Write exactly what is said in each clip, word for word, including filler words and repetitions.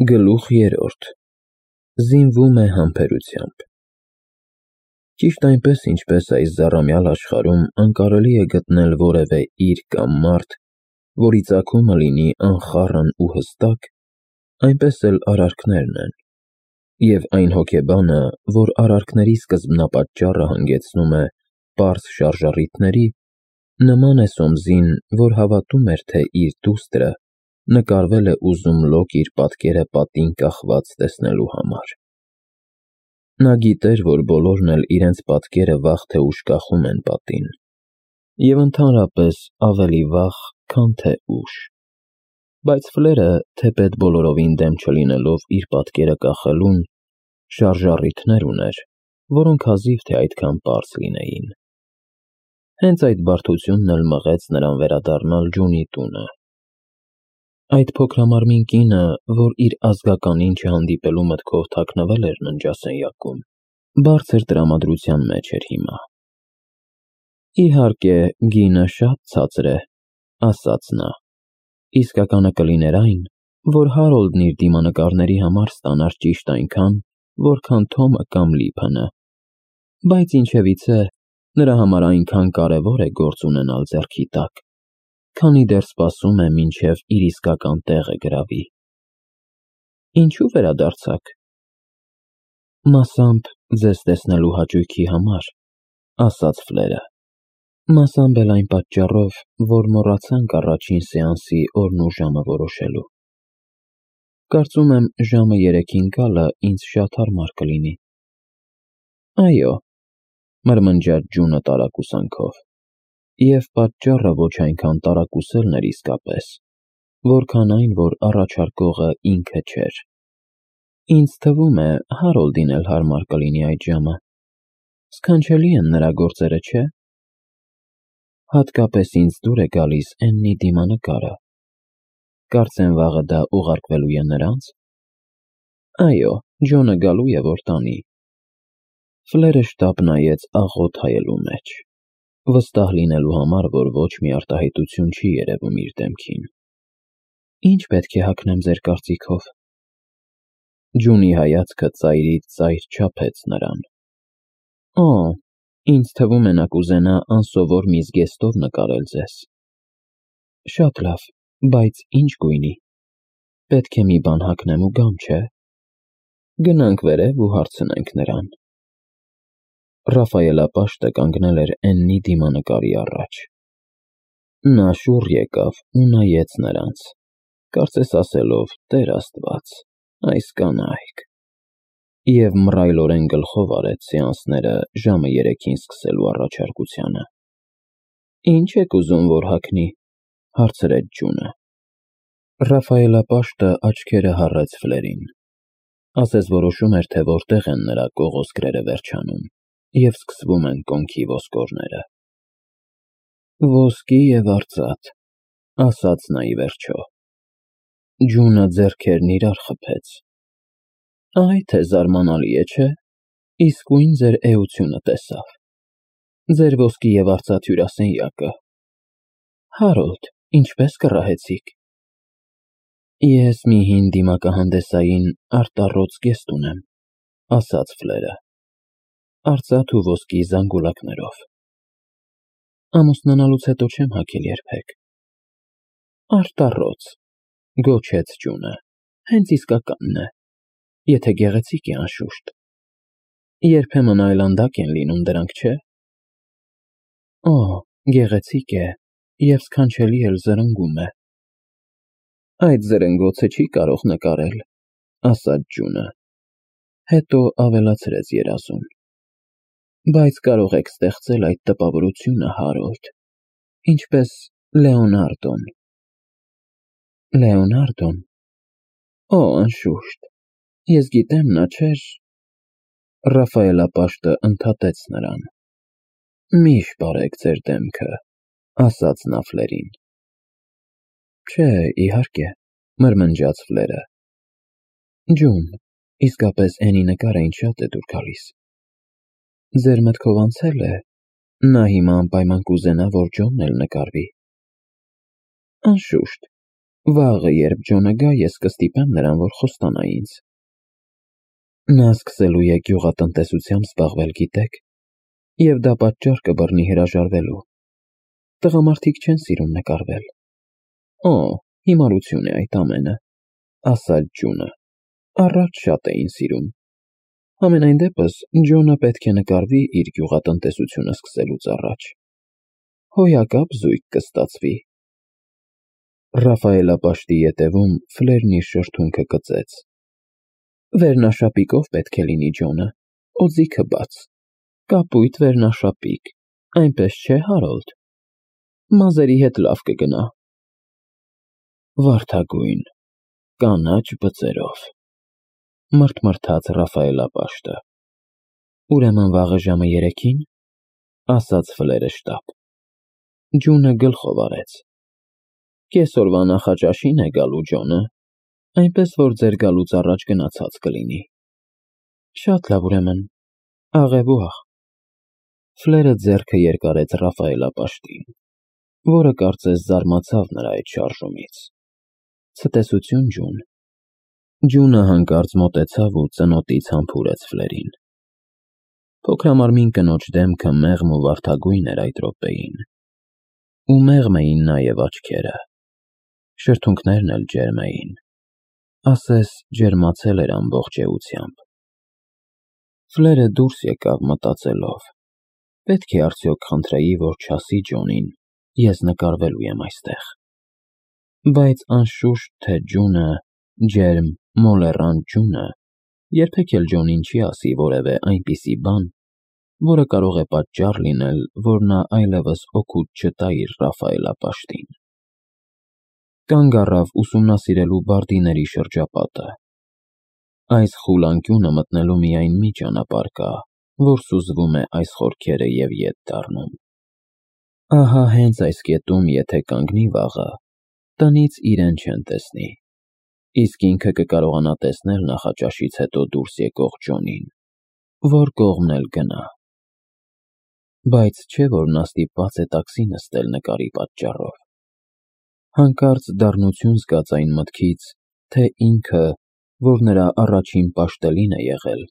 Գլուխ երրորդ. Զինվում է համբերությամբ։ Ճիշտ այնպես, ինչպես այս զառամյալ աշխարհում անկարելի է գտնել որևէ իր կամ մարդ, որի ծագումը լինի անխառն ու հստակ, այնպես էլ արարքներն են, և այն հոգեբանը, որ արարքների սկզբնապատճառը հանգեցնում է պարզ շարժառիթների, նման է Սոմսին, որ հավատում էր, թե իր դուստրը նկարվել է ուզում լոկ իր պատկերը պատին կախված տեսնելու համար։ Նա գիտեր, որ բոլորն էլ իրենց պատկերը վաղ թե ուշ կախում են պատին, և ընդհանրապես ավելի վաղ, քան թե ուշ, բայց Ֆլերը, թեպետ բոլորովին դեմ չլինելով իր պատկերը կախելուն, շարժառիթներ ուներ, որոնք հազիվ թե այդքան պարզ լինեին։ Հենց այդ բարդությունն էլ մղեց նրան վերադառնալ Ջունի տունը։ Այդ փոքրամարմին կինը, որ իր ազգականին չհանդիպելու մտքով թաքնվել էր ննջասենյակում, բարձր տրամադրության մեջ էր հիմա։ Իհարկե, գինը շատ ցածր է, ասաց նա, իսկականը կլիներ այն, որ Հարոլդն իր դիմանկարների համար ստանար ճիշտ այնքան, որքան Թոմը կամ Լիփը, բայց ինչևիցե, նրա համար այնքան կարևոր է գործ ունենալ ձեռքի տակ, քանի դեռ սպասում է, մինչև իր իսկական տեղը գրավի։ Ինչու վերադարձաք։ Մասամբ ձեզ տեսնելու հաճույքի համար, ասաց Ֆլերը, մասամբ էլ այն պատճառով, որ մոռացանք առաջին սեանսի օրն ու ժամը որոշելու։ Կարծում եմ, ժամը երեքին գալը ինձ շատ հարմար կլինի։ Այո, մրմնջաց Ջունը տարակուսանքով, և պատճառը ոչ այնքան տարակուսելն էր իսկապես, որքան այն, որ առաջարկողը ինքը չէր։ Ինձ թվում է, Հարոլդին էլ հարմար կլինի այդ ժամը։ Սքանչելի են նրա գործերը, չէ՞։ Հատկապես ինձ դուր է գալիս Էննի դիմանկարը։ Կարծեմ վաղը դա ուղարկվելու է նրանց։ Այո, Ջոնը գալու է, որ տանի։ Ֆլերը շտապ նայեց աղոտ հայելու մեջ, վստահ լինելու համար, որ ոչ մի արտահայտություն չի երևում իր դեմքին։ Ինչ պետք է հագնեմ ձեր կարծիքով։ Ջունի հայացքը ծայրից ծայր չափեց նրան։ Օ, ինձ թվում է նա կուզենա անսովոր մի զգեստով նկարել ձեզ։ Շատ լավ, բայց ինչ գույնի։ Պետք է մի բան հագնեմ ու գամ, չէ՞։ Գնանք վերև ու հարցնենք նրան։ Ռաֆայելապաշտը կանգնել էր Էննի դիմանկարի առաջ։ Նա շուռ եկավ ու նայեց նրանց, կարծես ասելով. «Տեր Աստված, այս կանայք», և մռայլորեն գլխով արեց սեանսները ժամը երեքին սկսելու առաջարկությանը։ Ինչ եք ուզում, որ հագնի, հարցրեց Ջունը։ Ռաֆայելապաշտը աչքերը հառեց Ֆլերին, ասես որոշում էր, թե որտեղ են նրա կողոսկրերը վերջանում և սկսվում են կոնքի ոսկորները։ Ոսկի և արծաթ, ասաց նա ի վերջո։ Ջունը ձեռքերն իրար խփեց։ Այ թե զարմանալի է, չէ՞։ Իսկույն ձեր էությունը տեսավ։ Ձեր ոսկի և արծաթ հյուրասենյակը։ Հարոլդ, ինչպե՞ս կռահեցիք։ Ես մի հին դիմակահանդեսային արտառոց զգեստ ունեմ, ասաց Ֆլերը, արծաթ ու ոսկի զանգուլակներով։ Ամուսնանալուց հետո չեմ հագել երբեք։ Արտառոց, գոչեց Ջունը, հենց իսկականն է, եթե գեղեցիկ է, անշուշտ։ Երբեմն այլանդակ են լինում դրանք, չէ։ Օ, գեղեցիկ է և սքանչելի էլ զրնգում է։ Այդ զրնգոցը չի կարող նկարել, ասաց Ջունը, հետո ավելացրեց երազում։ Բայց կարող եք ստեղծել այդ տպավորությունը, Հարոլդ, ինչպես Լեոնարդոն։ Լեոնարդոն։ Օ, անշուշտ, ես գիտեմ, նա չէր։ Ռաֆայելապաշտը ընդհատեց նրան։ Մի շպարեք ձեր դեմքը, ասաց նա Ֆլերին։ Չէ, իհարկե, մրմնջաց Ֆլերը։ Ջուն, իսկապես Էնի նկարը ինձ շատ է դուր գալիս։ Ձեր մտքով անցե՞լ է, նա հիմա անպայման կուզենա, որ Ջոնն էլ նկարվի։ Անշուշտ, Վաղը երբ Ջոնը գա, ես կստիպեմ նրան, որ խոստանա ինձ։ Նա սկսելու է գյուղատնտեսությամբ զբաղվել, գիտեք, և դա պատճառ կբռնի հրաժարվելու։ Տղամարդիկ չեն սիրում նկարվել։ Օ, հիմարություն է այդ ամենը, ասաց Ջունը, առաջ շատ էին սիրում։ Համենայն դեպս Ջոնը պետք է նկարվի իր գյուղատնտեսությունը սկսելուց առաջ։ Հոյակապ զույգ կստացվի։ Ռաֆայելապաշտի ետևում Ֆլերն իր շրթունքը կծեց։ Վերնաշապիկով պետք է լինի Ջոնը, օձիքը բաց, կապույտ վերնաշապիկ, այնպես չէ, Հարոլդ։ Մազերի հետ լավ կգնա։ Վարդագույն, կանաչ բծերով, մրթմրթաց Ռաֆայելապաշտը։ Ուրեմն վաղը ժամը երեքին, ասաց Ֆլերը շտապ։ Ջունը գլխով արեց։ Կեսօրվա նախաճաշին է գալու Ջոնը, այնպես որ ձեր գալուց առաջ գնացած կլինի։ Շատ լավ, ուրեմն, աղևուաղ։ Ֆլերը ձեռքը երկարեց Ռաֆայելապաշտին, որը կարծես զարմացավ նրա այդ շարժումից։ Ցտեսություն, Ջուն։ Ջունը հանկարծ մոտեցավ ու ծնոտից համբուրեց Ֆլերին։ Փոքրամարմին կնոջ դեմքը մեղմ ու վարդագույն էր այդ րոպեին, ու մեղմ էին նաև աչքերը, շրթունքներն էլ ջերմ էին, ասես ջերմացել էր ամբողջ էությամբ։ Ֆլերը դուրս եկավ մտածելով. պետք է արդյոք խնդրեի, որ չասի Ջոնին, ես նկարվելու եմ այստեղ։ Բայց անշուշտ թե Ջունը, ջերմ, մոլեռանդ Ջունը, երբեք էլ Ջոնին չի ասի որևէ այնպիսի բան, որը կարող է պատճառ լինել, որ նա այլևս օգուտ չտա իր Ռաֆայելապաշտին։ Կանգ առավ ուսումնասիրելու բարդիների շրջապատը։ Այս խուլ անկյունը մտնելու միայն մի ճանապարհ կա, որ սուզվում է այս խորքերը և ետ դառնում։ Ահա հենց այս կետում եթե կանգնի վաղը, տնից իրեն չեն տեսնի, իսկ ինքը կկարողանա տեսնել նախաճաշից հետո դուրս եկող Ջոնին, որ կողմն էլ գնա։ Բայց չէ՞ որ նա ստիպված է տաքսի նստել նկարի պատճառով։ Հանկարծ դառնություն զգաց այն մտքից, թե ինքը, որ նրա առաջին պաշտելին է եղել,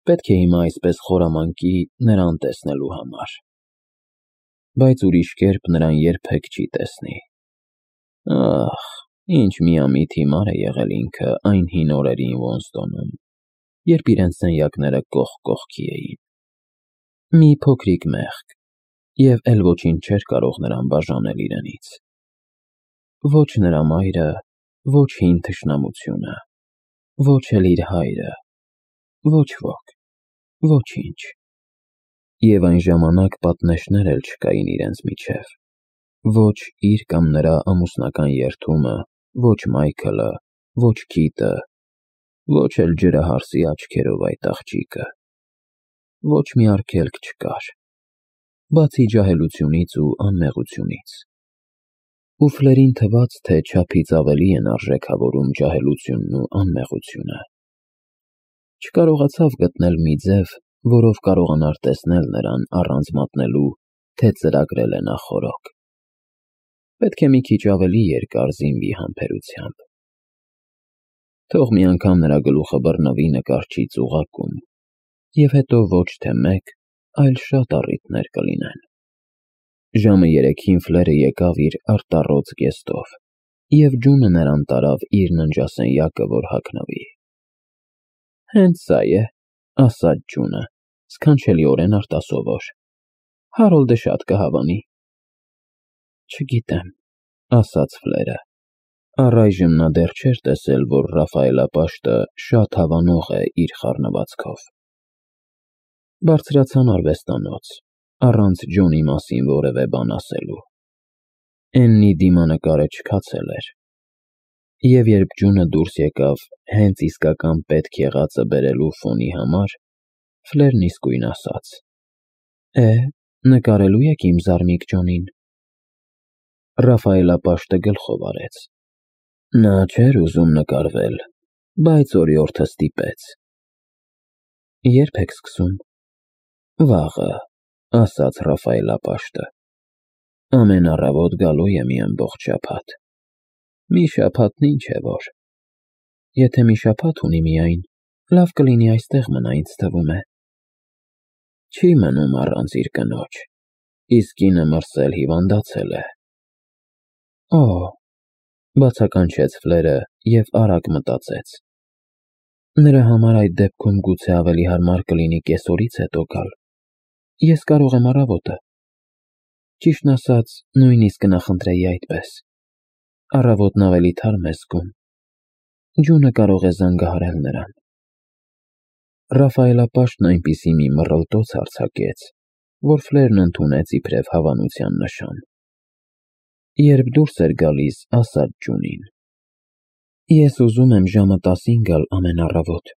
պետք է հիմա այսպես խորամանկի նրան տեսնելու համար։ Բայց ուրիշ կերպ նրան երբեք չի տեսնի։ Ախ, ինչ միամիտ հիմար է եղել ինքը այն հին օրերին Ոնստոնում, երբ իրենց սենյակները կողք կողքի էին։ Մի փոքրիկ մեղք, և էլ ոչինչ չէր կարող նրան բաժանել իրենից։ Ոչ նրա մայրը, ոչ հին թշնամությունը, ոչ էլ իր հայրը, ոչ ոք, ոչինչ։ Եվ այն ժամանակ պատնեշներ էլ չկային իրենց միջև, ոչ իր կամ նրա ամուսնական երդումը, ոչ Մայքլը, ոչ Քիթը, ոչ էլ ջրահարսի աչքերով այդ աղջիկը։ Ոչ մի արգելք չկար, բացի ջահելությունից ու անմեղությունից։ Ու Ֆլերին թվաց, թե չափից ավելի են արժեքավորում ջահելությունն ու անմեղությունը։ Չկարողացավ գտնել մի ձև, որով կարողանար տեսնել նրան առանց մատնելու, թե ծրագրել է նա խորոք։ Պետք է մի քիչ ավելի երկար զինվի համբերությամբ։ Թող մի անգամ նրա գլուխը բռնվի նկարչի ծուղակում, և հետո ոչ թե մեկ, այլ շատ առիթներ կլինեն։ Ժամը երեքին Ֆլերը եկավ իր արտառոց գեստով, և Ջունը նրան տարավ իր ննջասենյակը, որ հագնվի։ Հենց սա է, ասաց Ջունը, սքանչելիորեն արտասովոր։ Հարոլդը շատ կհավանի։ Չգիտեմ, ասաց Ֆլերը։ Առայժմ նա դեռ չէր տեսել, որ Ռաֆայելապաշտը շատ հավանող է իր խառնվածքով։ Բարձրացան արվեստանոց, առանց Ջոնի մասին որևէ բան ասելու։ Էննի դիմանկարը չքացել էր։ Եվ երբ Ջունը դուրս եկավ հենց իսկական պետք եղածը բերելու ֆոնի համար, Ֆլերն իսկույն ասաց. Է, նկարելու եք իմ զարմիկ Ջոնին։ Ռաֆայելապաշտը գլխով արեց։ Նա չէր ուզում նկարվել, բայց օրիորդը ստիպեց։ Ե՞րբ եք սկսում։ Վաղը, ասաց Ռաֆայելապաշտը։ Ամեն առավոտ գալու է մի ամբողջ շաբաթ։ Մի շաբաթն ինչ է որ։ Եթե մի շաբաթ ունի միայն, լավ կլինի այստեղ մնա, ինձ թվում է։ Չի մնում առանց իր կնոջ, իսկ կինը մրսել հիվանդացել է։ Օ, բացականչեց Ֆլերը և արագ մտածեց. նրա համար այդ դեպքում գուցե ավելի հարմար կլինի կեսօրից հետո գալ։ Ես կարող եմ առավոտը։ Ճիշտն ասած, նույնիսկ կնախընտրեի այդպես։ Առավոտն ավելի թարմ է զգում։ Ջունը կարող է զանգահարել նրան։ Ռաֆայելապաշտն այնպիսի մի մռլտոց արձակեց, որ Ֆլերն ընդունեց իբրև հավանության նշան։ Երբ դուրս էր գալիս, ասաց Ջունին. Ես ուզում եմ ժամը տասին գալ ամեն առավոտ։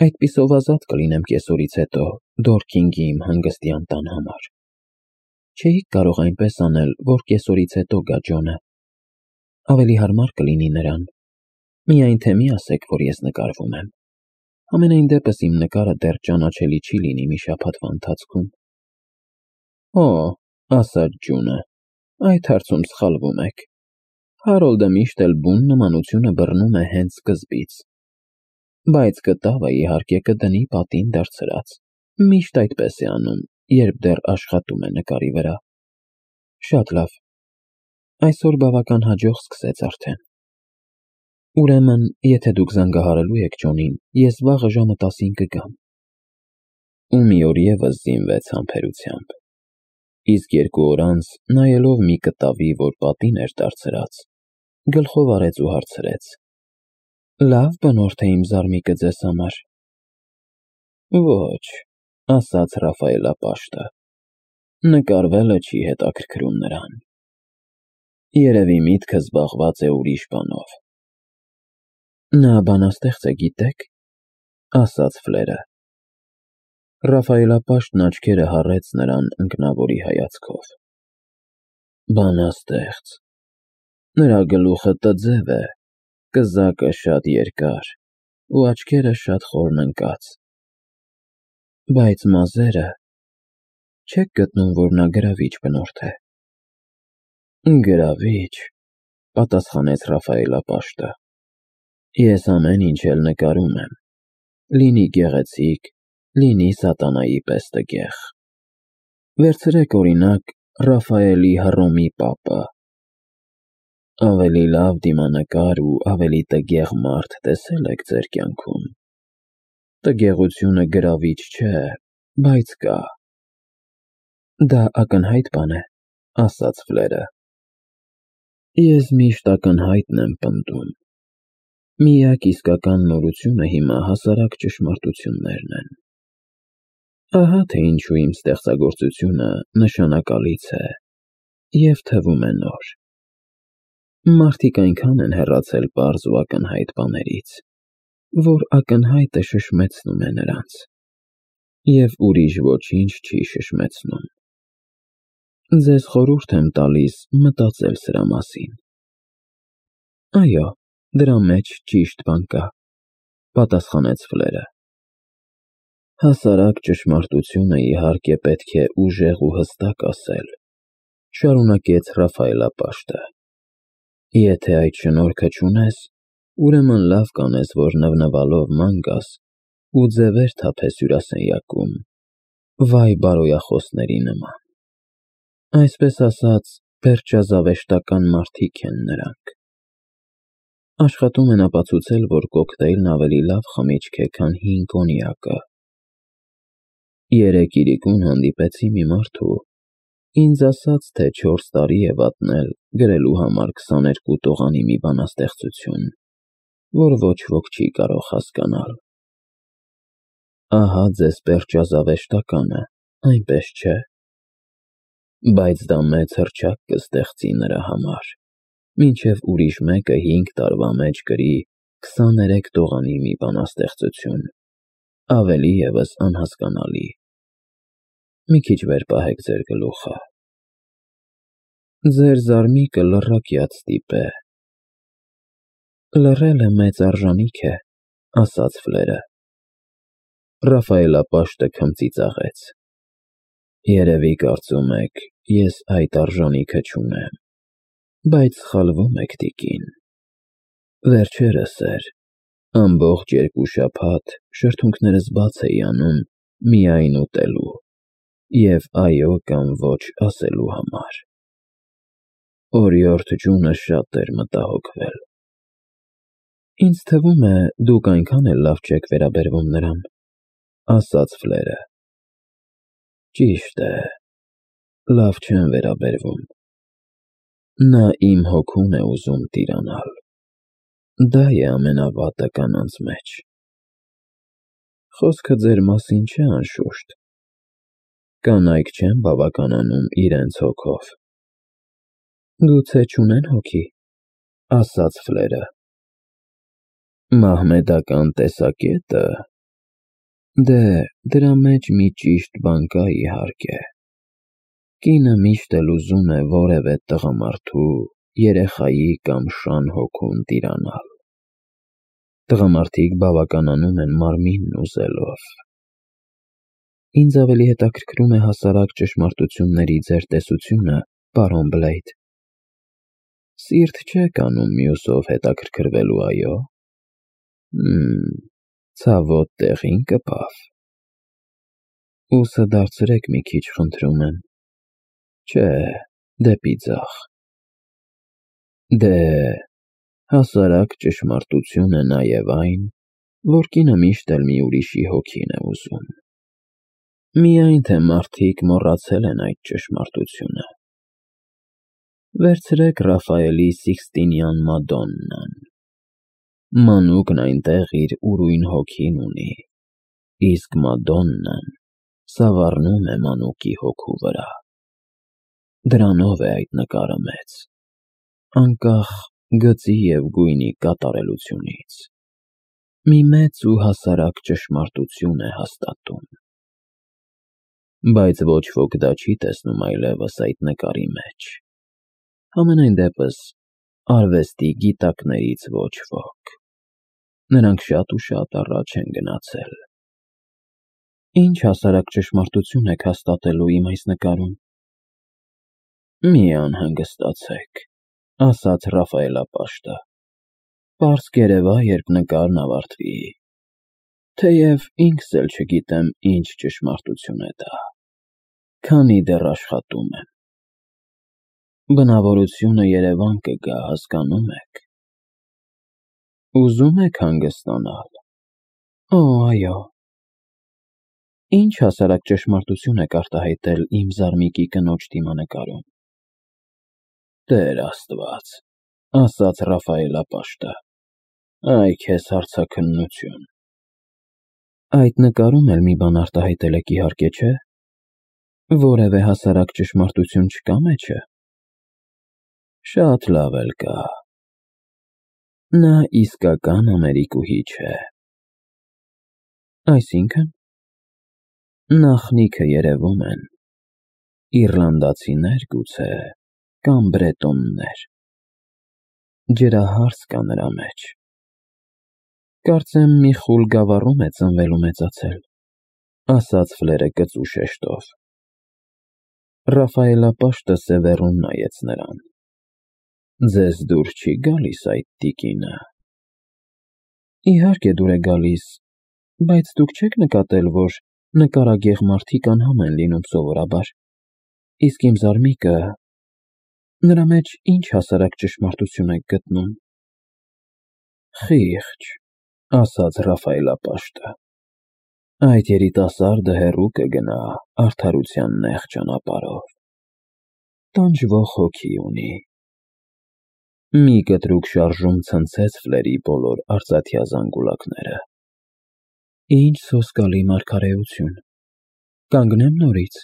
Այդպիսով ազատ կլինեմ կեսօրից հետո Դորքինգի իմ հանգստյան տան համար։ Չէիք կարող այնպես անել, որ կեսօրից հետո գա Ջոնը։ Ավելի հարմար կլինի նրան։ Միայն թե մի ասեք, որ ես նկարվում եմ։ Համենայն դեպս իմ նկարը դեռ ճանաչելի չի լինի մի շաբաթվա ընթացքում։ Օ, ասաց Ջունը, այդ հարցում սխալվում եք։ Հարոլդը միշտ էլ բուն նմանությունը բռնում է հենց սկզբից։ Բայց կտավը իհարկե կդնի պատին դարձրած։ Միշտ այդպես է անում, երբ դեռ աշխատում է նկարի վրա։ Շատ լավ։ Այսօր բավական հաջող սկսեց արդեն։ Ուրեմն, եթե դուք զանգահարելու եք Ջոնին, ես վաղը ժամը տասին կգամ։ Ու մի օր ևս զինվեց համբերությամբ։ Իսկ երկու օր անց, նայելով մի կտավի, որ պատին էր դարձրած, գլխով արեց ու հարցրեց. Լավ բնորդ է իմ զարմիկը ձեզ համար։ Ոչ, ասաց Ռաֆայելապաշտը, նկարվելը չի հետաքրքրում նրան։ Երևի միտքը զբաղված է ուրիշ բանով։ Նա բանաստեղծ է, գիտեք, ասաց Ֆլերը։ Ռաֆայելապաշտն աչքերը հառեց նրան ընկնավորի հայացքով։ Բանաստեղծ։ Նրա գլուխը տձև է, կզակը շատ երկար ու աչքերը շատ խորն ընկած։ Բայց մազերը… Չեք գտնում, որ նա գրավիչ բնորդ է։ Գրավիչ, պատասխանեց Ռաֆայելապաշտը։ Ես ամեն ինչ էլ նկարում եմ, լինի գեղեցիկ, լինի սատանայի պես տգեղ։ Վերցրեք օրինակ Ռաֆայելի Հռոմի պապը։ Ավելի լավ դիմանկար ու ավելի տգեղ մարդ տեսե՞լ եք ձեր կյանքում։ Տգեղությունը գրավիչ չէ, բայց կա։ Դա ակնհայտ բան է, ասաց Ֆլերը։ Ես միշտ ակնհայտն եմ պնդում։ Միակ իսկական նորությունը հիմա հասարակ ճշմարտություններն են։ Ահա թե ինչու իմ ստեղծագործությունը նշանակալից է և թվում է նոր։ Մարդիկ այնքան են հեռացել պարզ ու ակնհայտ բաներից, որ ակնհայտը շշմեցնում է նրանց, և ուրիշ ոչինչ չի շշմեցնում։ Ձեզ խորհուրդ եմ տալիս մտածել սրա մասին։ Այո, դրա մեջ ճիշտ բան կա, պատասխանեց Ֆլերը։ Հասարակ ճշմարտությունը իհարկե պետք է ուժեղ ու հստակ ասել, շարունակեց Ռաֆայելապաշտը։ Եթե այդ շնորհքը չունես, ուրեմն լավ կանես, որ նվնվալով ման գաս ու ձևեր թափես հյուրասենյակում, վայ բարոյախոսների նման։ Այսպես ասած, պերճազավեշտական մարդիկ են նրանք։ Աշխատում են ապացուցել, որ կոկտեյլն ավելի լավ խմիչք է, քան հին կոնյակը։ Երեկ իրիկուն հանդիպեցի մի մարդու, ինձ ասաց, թե չորս տարի է վատնել գրելու համար քսաներկու տողանի մի բանաստեղծություն, որ ոչ ոք չի կարող հասկանալ։ Ահա ձեզ պերճազավեշտականը, այնպես չէ։ Բայց դա մեծ հռչակ կստեղծի նրա համար, մինչև ուրիշ մեկը հինգ տարվա մեջ գրի քսաներեք տողանի մի բանաստեղծություն, ավելի ևս անհասկանալի։ Մի քիչ վեր պահեք ձեր գլուխը։ Ձեր զարմիկը լռակյաց տիպ է։ Լռելը մեծ արժանիք է, ասաց Ֆլերը։ Ռաֆայելապաշտը քմծիծաղեց։ Երևի կարծում եք, ես այդ արժանիքը չունեմ։ Բայց սխալվում եք, տիկին։ Վերջերս էր, ամբողջ երկու շաբաթ շրթունքներս բաց էի անում միայն ուտելու և այո կամ ոչ ասելու համար։ Օրիորդ ջունը շատ էր մտահոգվել։ Ինձ թվում է, դուք այնքան էլ լավ չեք վերաբերվում նրան, ասաց Ֆլերը։ Ճիշտ է, լավ չեմ վերաբերվում։ Նա իմ հոգուն է ուզում տիրանալ։ Դա է ամենավատը կանանց մեջ։ Խոսքը ձեր մասին չէ, անշուշտ։ Կանայք չեն բավականանում իրենց հոգով։ Գուցե չունեն հոգի, ասաց Ֆլերը։ Մահմեդական տեսակետը։ Դե, դրա մեջ մի ճիշտ բան կա, իհարկե։ Կինը միշտ էլ ուզում է որևէ տղամարդու, երեխայի կամ շան հոգուն տիրանալ։ Տղամարդիկ բավականանում են մարմինն ուզելով։ Ինձ ավելի հետաքրքրում է հասարակ ճշմարտությունների ձեր տեսությունը, պարոն Բլեյդ։ Սիրտ չեք անում մյուսով հետաքրքրվելու, այո՞։ Հմ, ցավոտ տեղին կպավ։ Ուսը դարձրեք մի քիչ, խնդրում եմ։ Չէ, դեպի ձախ։ Դե, հասարակ ճշմարտություն է նաև այն, որ կինը միշտ էլ մի ուրիշի հոգին է ուզում։ Միայն թե մարդիկ մոռացել են այդ ճշմարտությունը։ Վերցրեք Ռաֆայելի Սիքստինյան Մադոննան։ Մանուկն այնտեղ իր ուրույն հոգին ունի, իսկ Մադոննան սավառնում է մանուկի հոգու վրա։ Դրանով է այդ նկարը մեծ, անկախ գծի և գույնի կատարելությունից։ Մի մեծ ու հասարակ ճշմարտություն է հաստատում։ Բայց ոչ ոք դա չի տեսնում այլևս այդ նկարի մեջ։ Համենայն դեպս, արվեստի գիտակներից ոչ ոք։ Նրանք շատ ու շատ առաջ են գնացել։ Ինչ հասարակ ճշմարտություն եք հաստատելու իմ այս նկարում։ Մի անհանգստացեք, ասաց Ռաֆայելապաշտը։ Պարզ կերևա, երբ նկարն ավարտվի։ Թեև ինքս էլ չգիտեմ ինչ ճշմարտություն է դա, քանի դեռ աշխատում եմ։ Բնավորությունը երևան կգա, հասկանում եք։ Ուզում եք հանգստանալ։ Օ, այո։ Ինչ հասարակ ճշմարտություն եք արտահայտել իմ զարմիկի կնոջ դիմանկարում։ Տեր Աստված, ասաց Ռաֆայելապաշտը, այ քեզ հարցաքննություն։ Այդ նկարում էլ մի բան արտահայտել եք, իհարկե, չէ՞։ Որևէ հասարակ ճշմարտություն չկա մեջը։ Շատ լավ էլ կա։ Նա իսկական ամերիկուհի չէ։ Այսինքն։ Նախնիքը երևում են։ Իռլանդացիներ, գուցե, կամ բրետոններ։ Ջրահարց կա նրա մեջ։ Կարծեմ մի խուլ գավառում է ծնվել ու մեծացել, ասաց Ֆլերը կծու շեշտով։ Ռաֆայելապաշտը սևեռուն նայեց նրան։ Ձեզ դուր չի գալիս այդ տիկինը։ Իհարկե դուր է գալիս, բայց դուք չեք նկատել, որ նկարագեղ մարդիկ անհամ են լինում սովորաբար, իսկ իմ զարմիկը, նրա մեջ ինչ հասարակ ճշմարտություն եք գտնում։ Խիղճ, ասաց Ռաֆայելապաշտը։ Այդ երիտասարդը հեռու կգնա արդարության նեղ ճանապարհով։ Տանջվող հոգի ունի։ Մի կտրուկ շարժում ցնցեց Ֆլերի բոլոր արծաթյա զանգուլակները։ Ինչ սոսկալի մարգարեություն։ Կանգնեմ նորից։